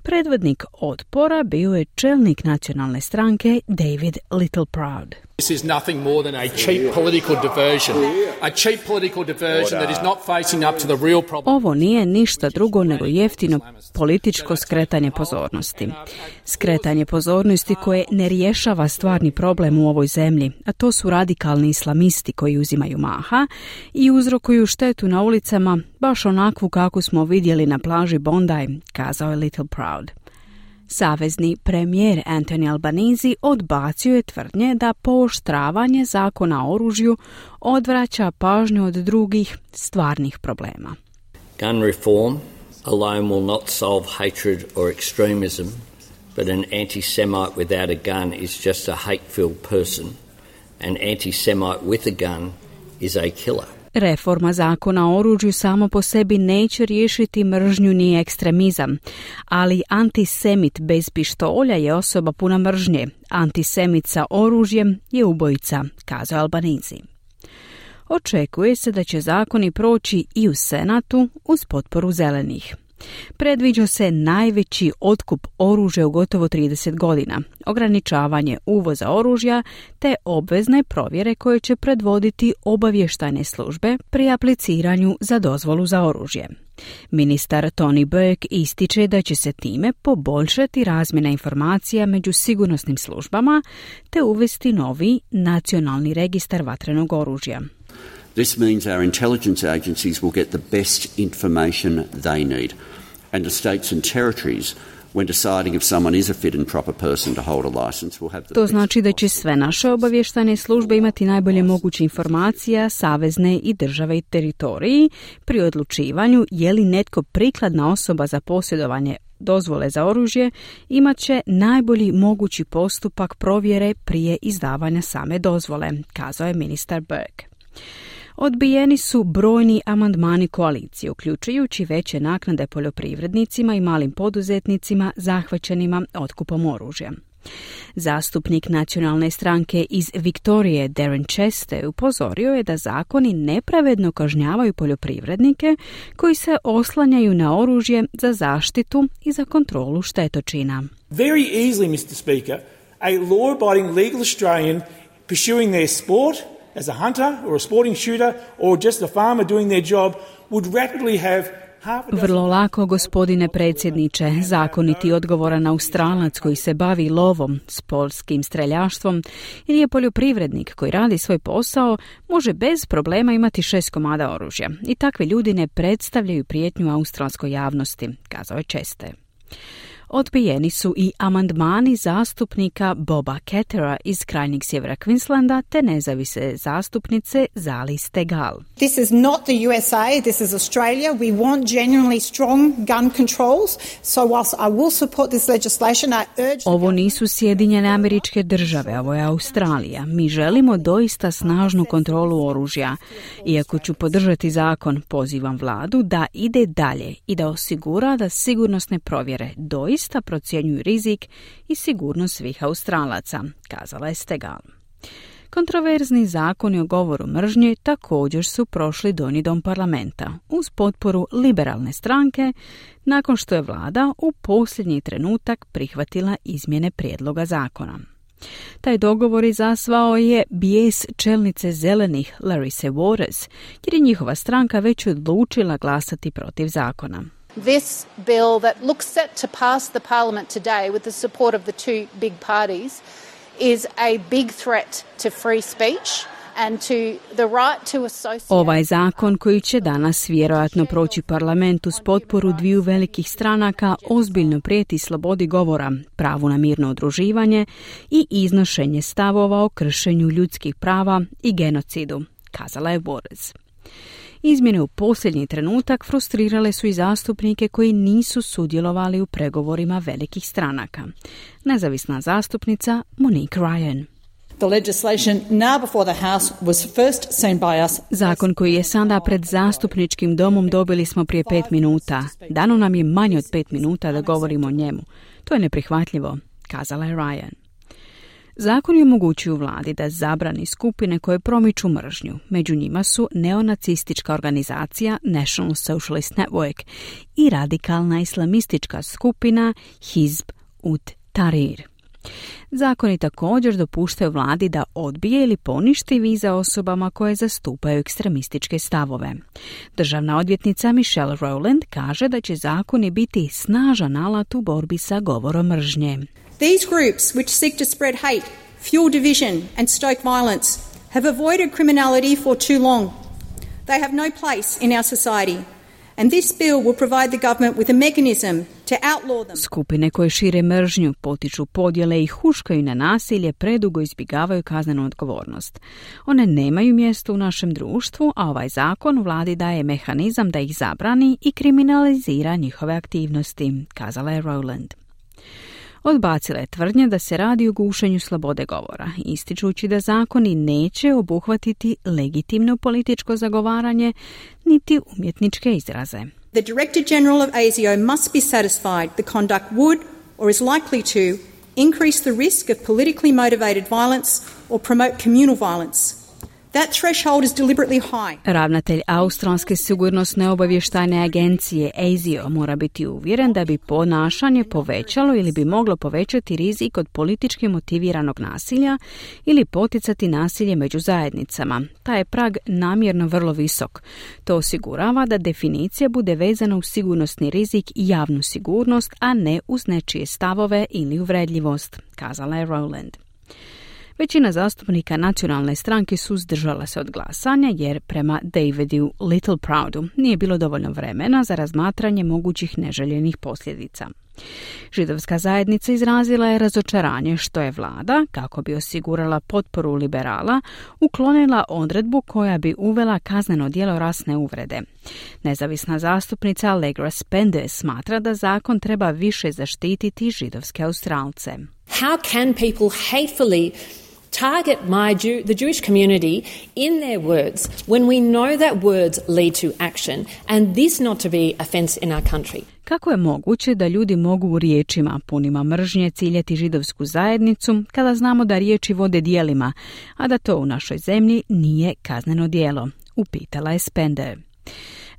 Predvodnik otpora bio je čelnik nacionalne stranke David Littleproud. This is nothing more than a cheap political diversion. A cheap political diversion that is not facing up to the real problem. Ovo nije ništa drugo nego jeftino političko skretanje pozornosti. Skretanje pozornosti koje ne rješava stvarni problem u ovoj zemlji, a to su radikalni islamisti koji uzimaju maha i uzrokuju štetu na ulicama, baš onakvu kako smo vidjeli na plaži Bondi, kazao je Littleproud. Savezni premijer Anthony Albanese odbacio je tvrdnje da pooštravanje zakona o oružju odvraća pažnju od drugih stvarnih problema. Gun reform alone will not solve hatred or extremism, but an anti-Semite without a gun is just a hate-filled person. An anti-Semite with a gun is a killer. Reforma zakona o oružju samo po sebi neće riješiti mržnju ni ekstremizam, ali antisemit bez pištolja je osoba puna mržnje. Antisemit sa oružjem je ubojica, kazao Albanese. Očekuje se da će zakoni proći i u Senatu uz potporu zelenih. Predviđa se najveći otkup oružja u gotovo 30 godina, ograničavanje uvoza oružja te obvezne provjere koje će predvoditi obavještajne službe pri apliciranju za dozvolu za oružje. Ministar Tony Burke ističe da će se time poboljšati razmjena informacija među sigurnosnim službama te uvesti novi nacionalni registar vatrenog oružja. This means our intelligence agencies will get the best information they need, and the states and territories, when deciding if someone is a fit and proper person to hold a license, will have the To znači da će sve naše obavještajne službe imati najbolje moguće informacija, savezne i države i teritoriji pri odlučivanju je li netko prikladna osoba za posjedovanje dozvole za oružje, imat će najbolji mogući postupak provjere prije izdavanja same dozvole, kazao je ministar Burke. Odbijeni su brojni amandmani koalicije, uključujući veće naknade poljoprivrednicima i malim poduzetnicima zahvaćenima otkupom oružja. Zastupnik nacionalne stranke iz Viktorije Darren Chester upozorio je da zakoni nepravedno kažnjavaju poljoprivrednike koji se oslanjaju na oružje za zaštitu i za kontrolu štetočina. Very easily, Mr. Speaker, a law-abiding legal Australian pursuing their sport as a hunter or a sporting shooter or just a farmer doing their job would rapidly have Vrlo lako, gospodine predsjedniče, zakoniti odgovoran Australac koji se bavi lovom, sportskim streljaštvom ili je poljoprivrednik koji radi svoj posao može bez problema imati 6 komada oružja. I takvi ljudi ne predstavljaju prijetnju australskoj javnosti, kazao je Chester. Odbijeni su i amandmani zastupnika Boba Kettera iz krajnjeg sjevera Queenslanda te nezavisne zastupnice Zali Steggall. This is not the USA, this is Australia. We want genuinely strong gun controls. So whilst I will support this legislation, I urge... Ovo nisu Sjedinjene Američke Države, ovo je Australija. Mi želimo doista snažnu kontrolu oružja. Iako ću podržati zakon, pozivam vladu da ide dalje i da osigura da sigurnosne provjere doista procjenjuju rizik i sigurnost svih Australaca, kazala je Steggall. Kontroverzni zakoni o govoru mržnje također su prošli donji dom parlamenta uz potporu liberalne stranke nakon što je vlada u posljednji trenutak prihvatila izmjene prijedloga zakona. Taj dogovor izazvao je bijes čelnice zelenih Larissa Waters, jer je njihova stranka već odlučila glasati protiv zakona. This bill that looks set to pass the parliament today with the support of the two big parties is a big threat to free speech and to the right to associate. Ovaj zakon koji će danas vjerojatno proći parlamentu s potporu dviju velikih stranaka ozbiljno prijeti slobodi govora, pravu na mirno udruživanje i iznošenje stavova o kršenju ljudskih prava i genocidu, kazala je Waters. Izmjene u posljednji trenutak frustrirale su i zastupnike koji nisu sudjelovali u pregovorima velikih stranaka. Nezavisna zastupnica Monique Ryan. The legislation now before the House was first seen by us. Zakon koji je sada pred zastupničkim domom dobili smo prije 5 minuta. Dano nam je manje od 5 minuta da govorimo o njemu. To je neprihvatljivo, kazala je Ryan. Zakoni omogućuju vladi da zabrani skupine koje promiču mržnju. Među njima su neonacistička organizacija National Socialist Network i radikalna islamistička skupina Hizb ut Tahrir. Zakoni također dopuštaju vladi da odbije ili poništi vize osobama koje zastupaju ekstremističke stavove. Državna odvjetnica Michelle Rowland kaže da će zakoni biti snažan alat u borbi sa govorom mržnje. These groups which seek to spread hate, fuel division and stoke violence have avoided criminality for too long. They have no place in our society. And this bill will provide the government with a mechanism to outlaw them. Skupine koje šire mržnju, potiču podjele i huškaju na nasilje predugo izbjegavaju kaznenu odgovornost. One nemaju mjesto u našem društvu, a ovaj zakon vladi daje mehanizam da ih zabrani i kriminalizira njihove aktivnosti, kazala je Rowland. Odbacila je tvrdnje da se radi o gušenju slobode govora, ističući da zakoni neće obuhvatiti legitimno političko zagovaranje niti umjetničke izraze. The Director General of ASIO must be satisfied the conduct would or is likely to increase the risk of politically motivated violence or promote communal violence. That threshold is deliberately high. Ravnatelj Australske sigurnosne obavještajne agencije ASIO mora biti uvjeren da bi ponašanje povećalo ili bi moglo povećati rizik od politički motiviranog nasilja ili poticati nasilje među zajednicama. Taj je prag namjerno vrlo visok. To osigurava da definicija bude vezana uz sigurnosni rizik i javnu sigurnost, a ne uz nečije stavove ili uvredljivost, kazala je Rowland. Većina zastupnika nacionalne stranke suzdržala se od glasanja jer prema Davidu Littleproudu nije bilo dovoljno vremena za razmatranje mogućih neželjenih posljedica. Židovska zajednica izrazila je razočaranje što je vlada, kako bi osigurala potporu liberala, uklonila odredbu koja bi uvela kazneno djelo rasne uvrede. Nezavisna zastupnica Allegra Spender smatra da zakon treba više zaštititi židovske Australce. How can people hatefully target the Jewish community in their words when we know that words lead to action and this not to be offense in our country? Kako je moguće da ljudi mogu u riječima punima mržnje ciljati židovsku zajednicu kada znamo da riječi vode djelima, a da to u našoj zemlji nije kazneno djelo? Upitala je Spender.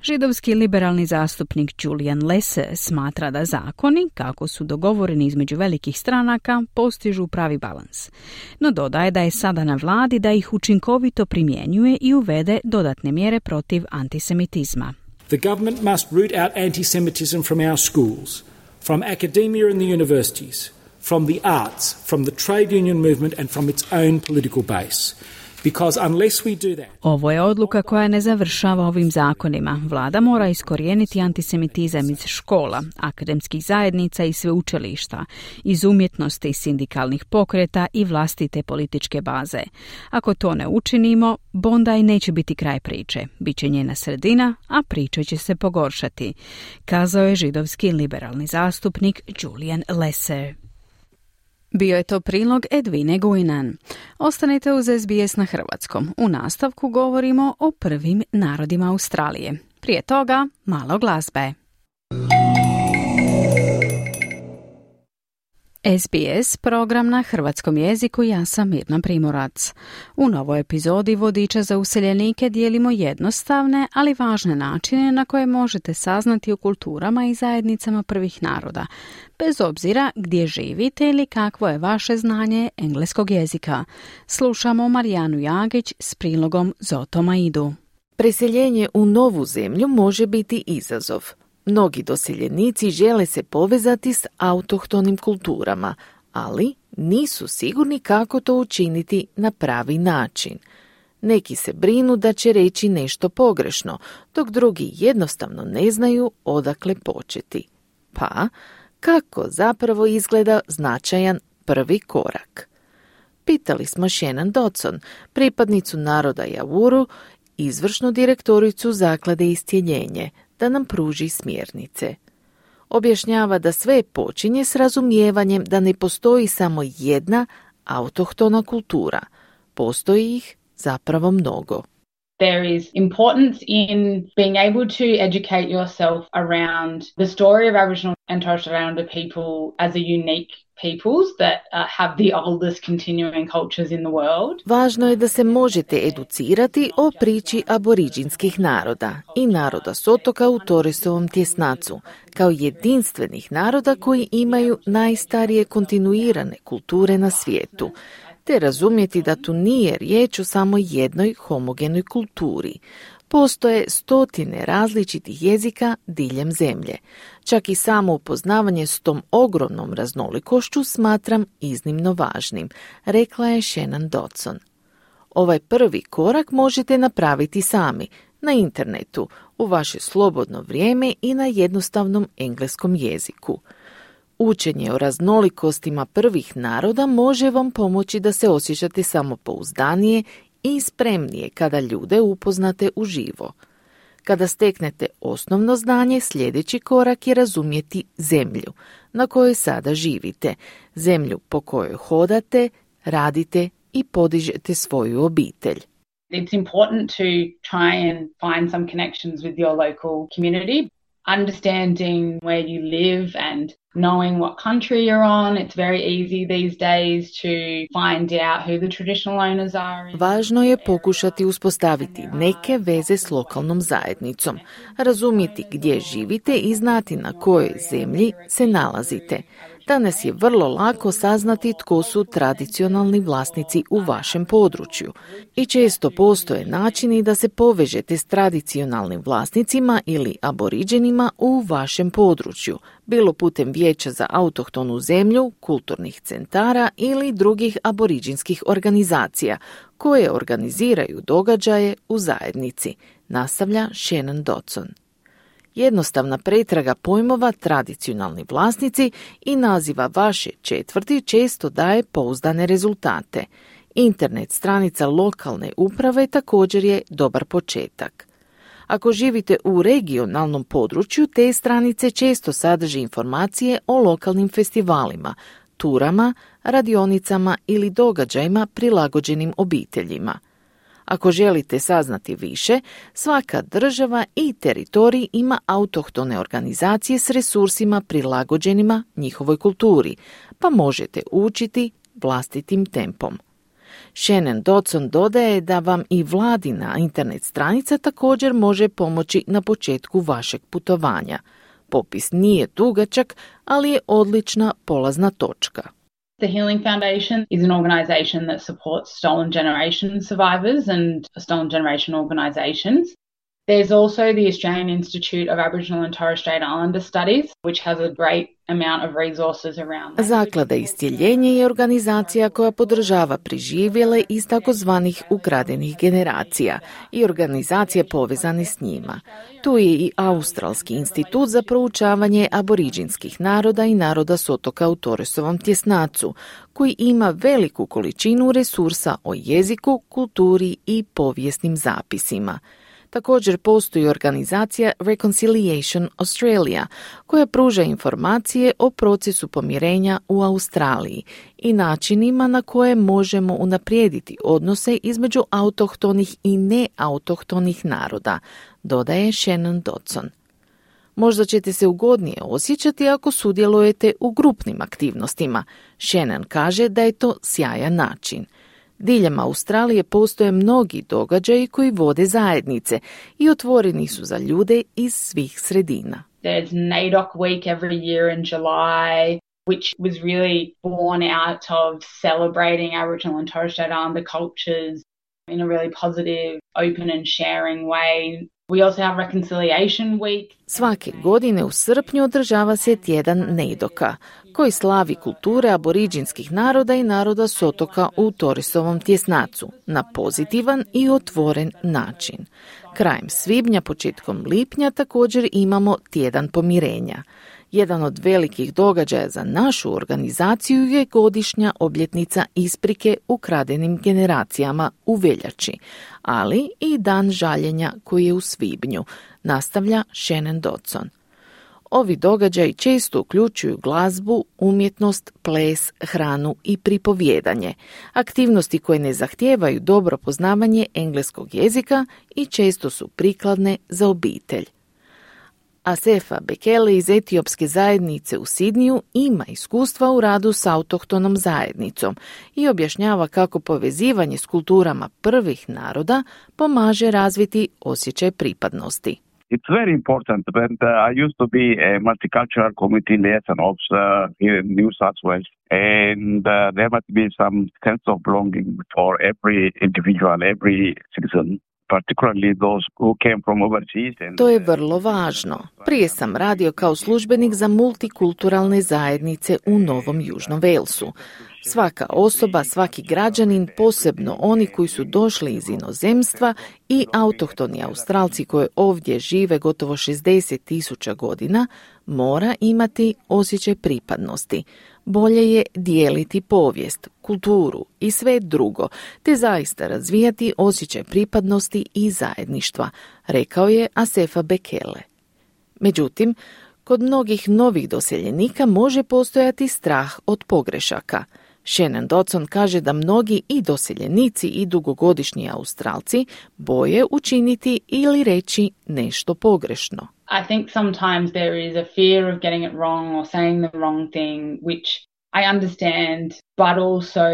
Židovski liberalni zastupnik Julian Lesser smatra da zakoni, kako su dogovoreni između velikih stranaka, postižu pravi balans. No dodaje da je sada na vladi da ih učinkovito primjenjuje i uvede dodatne mjere protiv antisemitizma. The government must root out anti-Semitism from our schools, from academia and the universities, from the arts, from the trade union movement and from its own political base. Because unless we do that... Ovo je odluka koja ne završava ovim zakonima. Vlada mora iskorijeniti antisemitizam iz škola, akademskih zajednica i sveučilišta, iz umjetnosti i sindikalnih pokreta i vlastite političke baze. Ako to ne učinimo, Bondi neće biti kraj priče. Biće njena sredina, a priča će se pogoršati, kazao je židovski liberalni zastupnik Julian Lesser. Bio je to prilog Edvine Gujnan. Ostanite uz SBS na hrvatskom. U nastavku govorimo o prvim narodima Australije. Prije toga, malo glazbe. SBS, program na hrvatskom jeziku, ja sam Mirna Primorac. U novoj epizodi Vodiča za useljenike dijelimo jednostavne, ali važne načine na koje možete saznati o kulturama i zajednicama prvih naroda, bez obzira gdje živite ili kakvo je vaše znanje engleskog jezika. Slušamo Marijanu Jagić s prilogom Zoto Maidu. Preseljenje u novu zemlju može biti izazov. Mnogi doseljenici žele se povezati s autohtonim kulturama, ali nisu sigurni kako to učiniti na pravi način. Neki se brinu da će reći nešto pogrešno, dok drugi jednostavno ne znaju odakle početi. Pa, kako zapravo izgleda značajan prvi korak? Pitali smo Shannon Dodson, pripadnicu naroda Javuru, izvršnu direktoricu Zaklade Istjeljenje, da nam pruži smjernice. Objašnjava da sve počinje s razumijevanjem da ne postoji samo jedna autohtona kultura. Postoji ih zapravo mnogo. There is importance in being able to educate yourself around the story of Aboriginal and Torres Strait Islander people as a unique peoples that have the oldest continuing cultures in the world. Važno je da se možete educirati o priči aboriđinskih naroda i naroda s otoka u Torresovom tjesnacu, kao jedinstvenih naroda koji imaju najstarije kontinuirane kulture na svijetu, te razumjeti da tu nije riječ o samo jednoj homogenoj kulturi. Postoje stotine različitih jezika diljem zemlje. Čak i samo upoznavanje s tom ogromnom raznolikošću smatram iznimno važnim, rekla je Shannon Dodson. Ovaj prvi korak možete napraviti sami, na internetu, u vaše slobodno vrijeme i na jednostavnom engleskom jeziku. Učenje o raznolikostima prvih naroda može vam pomoći da se osjećate samopouzdanije i spremnije kada ljude upoznate uživo. Kada steknete osnovno znanje, sljedeći korak je razumjeti zemlju na kojoj sada živite, zemlju po kojoj hodate, radite i podižete svoju obitelj. It's important to try and find some connections with your local community. Understanding where you live and knowing what country you're on, it's very easy these days to find out who the traditional owners are. Važno je pokušati uspostaviti neke veze s lokalnom zajednicom, razumjeti gdje živite i znati na kojoj zemlji se nalazite. Danas je vrlo lako saznati tko su tradicionalni vlasnici u vašem području i često postoje načini da se povežete s tradicionalnim vlasnicima ili aboriđenima u vašem području, bilo putem vijeća za autohtonu zemlju, kulturnih centara ili drugih aboriđinskih organizacija koje organiziraju događaje u zajednici, nastavlja Shannon Dodson. Jednostavna pretraga pojmova tradicionalni vlasnici i naziva vaše četvrti često daje pouzdane rezultate. Internet stranica lokalne uprave također je dobar početak. Ako živite u regionalnom području, te stranice često sadrže informacije o lokalnim festivalima, turama, radionicama ili događajima prilagođenim obiteljima. Ako želite saznati više, svaka država i teritorij ima autohtone organizacije s resursima prilagođenima njihovoj kulturi, pa možete učiti vlastitim tempom. Shannon Dodson dodaje da vam i vladina internet stranica također može pomoći na početku vašeg putovanja. Popis nije dugačak, ali je odlična polazna točka. The Healing Foundation is an organisation that supports stolen generation survivors and stolen generation organisations. There's also the Australian Institute of Aboriginal and Torres Strait Islander Studies, which has a great amount of resources around that. Zaklada Iscjeljenje je organizacija koja podržava preživjele iz takozvanih ukradenih generacija i organizacije povezane s njima. Tu je i Australski institut za proučavanje aboriđinskih naroda i naroda s otoka u Torresovom tjesnacu, koji ima veliku količinu resursa o jeziku, kulturi i povijesnim zapisima. Također postoji organizacija Reconciliation Australia, koja pruža informacije o procesu pomirenja u Australiji i načinima na koje možemo unaprijediti odnose između autohtonih i neautohtonih naroda, dodaje Shannon Dodson. Možda ćete se ugodnije osjećati ako sudjelujete u grupnim aktivnostima. Shannon kaže da je to sjajan način. Diljem Australije postoje mnogi događaji koji vode zajednice i otvoreni su za ljude iz svih sredina. There's NAIDOC week every year in July, which was really born out of celebrating Aboriginal and Torres Strait Islander cultures in a really positive, open and sharing way. We also have Reconciliation Week. Svake godine u srpnju održava se tjedan NAIDOC-a, koji slavi kulture aboriđinskih naroda i naroda s otoka u Torresovom tjesnacu na pozitivan i otvoren način. Krajem svibnja, početkom lipnja također imamo tjedan pomirenja. Jedan od velikih događaja za našu organizaciju je godišnja obljetnica isprike ukradenim generacijama u veljači, ali i dan žaljenja koji je u svibnju, nastavlja Shannon Dodson. Ovi događaji često uključuju glazbu, umjetnost, ples, hranu i pripovjedanje, aktivnosti koje ne zahtijevaju dobro poznavanje engleskog jezika i često su prikladne za obitelj. Asefa Bekele iz etiopske zajednice u Sidniju ima iskustva u radu s autohtonom zajednicom i objašnjava kako povezivanje s kulturama prvih naroda pomaže razviti osjećaj pripadnosti. It's very important, and I used to be a multicultural community liaison officer here in New South Wales, and there must be some sense of belonging for every individual, every citizen. To je vrlo važno. Prije sam radio kao službenik za multikulturalne zajednice u Novom Južnom Walesu. Svaka osoba, svaki građanin, posebno oni koji su došli iz inozemstva i autohtoni Australci koji ovdje žive gotovo 60.000 godina, mora imati osjećaj pripadnosti. Bolje je dijeliti povijest, kulturu i sve drugo, te zaista razvijati osjećaj pripadnosti i zajedništva, rekao je Asefa Bekele. Međutim, kod mnogih novih doseljenika može postojati strah od pogrešaka. Shannon Dodson kaže da mnogi i doseljenici i dugogodišnji Australci boje učiniti ili reći nešto pogrešno. I think sometimes there is a fear of getting it wrong or saying the wrong thing, which I understand, but also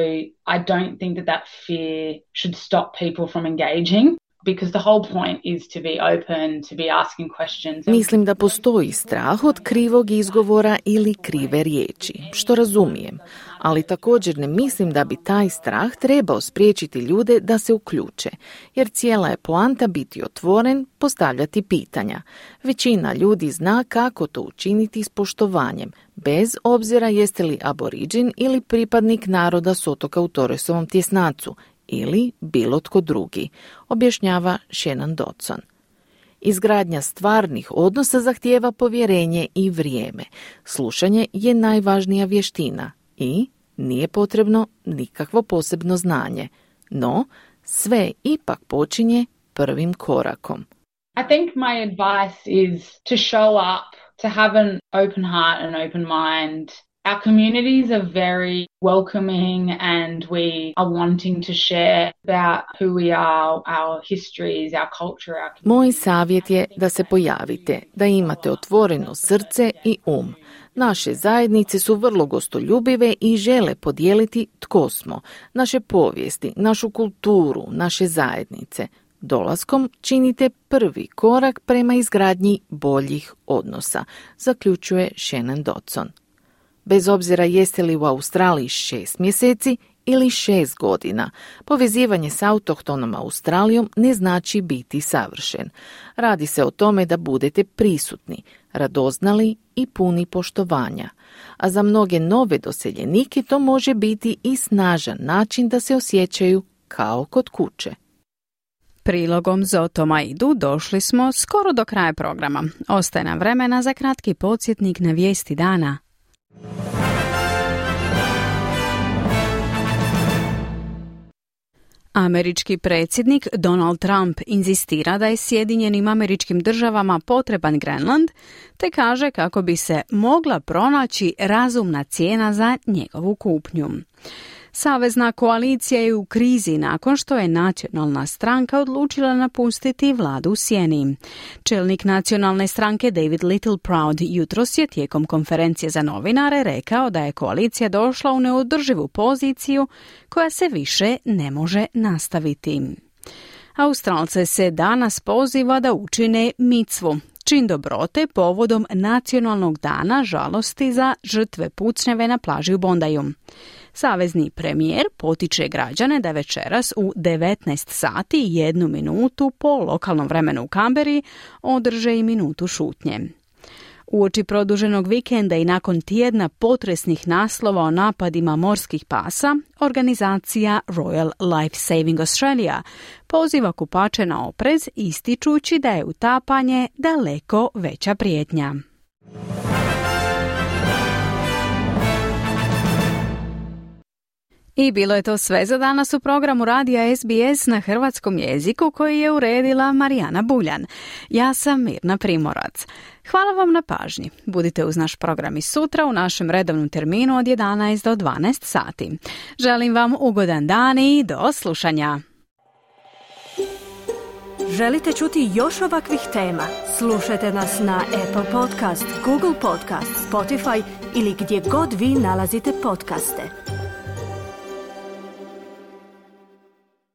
I don't think that fear should stop people from engaging. Because the whole point is to be open, to be asking questions. Mislim da postoji strah od krivog izgovora ili krive riječi, što razumijem, ali također ne mislim da bi taj strah trebao spriječiti ljude da se uključe, jer cijela je poanta biti otvoren, postavljati pitanja. Većina ljudi zna kako to učiniti s poštovanjem, bez obzira jeste li aboriđin ili pripadnik naroda s otoka u Torresovom tjesnacu, ili bilo tko drugi, objašnjava Shannon Dodson. Izgradnja stvarnih odnosa zahtijeva povjerenje i vrijeme. Slušanje je najvažnija vještina i nije potrebno nikakvo posebno znanje. No, sve ipak počinje prvim korakom. I think my advice is to show up, to have an open heart and open mind. Our communities are very welcoming and we are wanting to share about who we are, our histories, our culture, our community. Moj savjet je da se pojavite, da imate otvoreno srce i um. Naše zajednice su vrlo gostoljubive i žele podijeliti tko smo, naše povijesti, našu kulturu, naše zajednice. Dolaskom činite prvi korak prema izgradnji boljih odnosa, zaključuje Shannon Dodson. Bez obzira jeste li u Australiji 6 mjeseci ili 6 godina, povezivanje s autohtonom Australijom ne znači biti savršen. Radi se o tome da budete prisutni, radoznali i puni poštovanja. A za mnoge nove doseljenike to može biti i snažan način da se osjećaju kao kod kuće. Prilogom Zoto Maidu došli smo skoro do kraja programa. Ostaje nam vremena za kratki podsjetnik na vijesti dana. Američki predsjednik Donald Trump inzistira da je Sjedinjenim Američkim Državama potreban Grenland, te kaže kako bi se mogla pronaći razumna cijena za njegovu kupnju. Savezna koalicija je u krizi nakon što je nacionalna stranka odlučila napustiti vladu u sjeni. Čelnik nacionalne stranke David Littleproud jutros je tijekom konferencije za novinare rekao da je koalicija došla u neodrživu poziciju koja se više ne može nastaviti. Australce se danas poziva da učine micvu, čin dobrote povodom Nacionalnog dana žalosti za žrtve pucnjave na plaži u Bondaju. Savezni premijer potiče građane da večeras u 19 sati i 1 minutu po lokalnom vremenu u Kamberi održe i minutu šutnje. Uoči produženog vikenda i nakon tjedna potresnih naslova o napadima morskih pasa, organizacija Royal Life Saving Australia poziva kupače na oprez ističući da je utapanje daleko veća prijetnja. I bilo je to sve za danas u programu radija SBS na hrvatskom jeziku koji je uredila Marijana Buljan. Ja sam Mirna Primorac. Hvala vam na pažnji. Budite uz naš program i sutra u našem redovnom terminu od 11 do 12 sati. Želim vam ugodan dan i do slušanja. Želite čuti još ovakvih tema? Slušajte nas na Apple Podcast, Google Podcast, Spotify ili gdje god vi nalazite podcaste.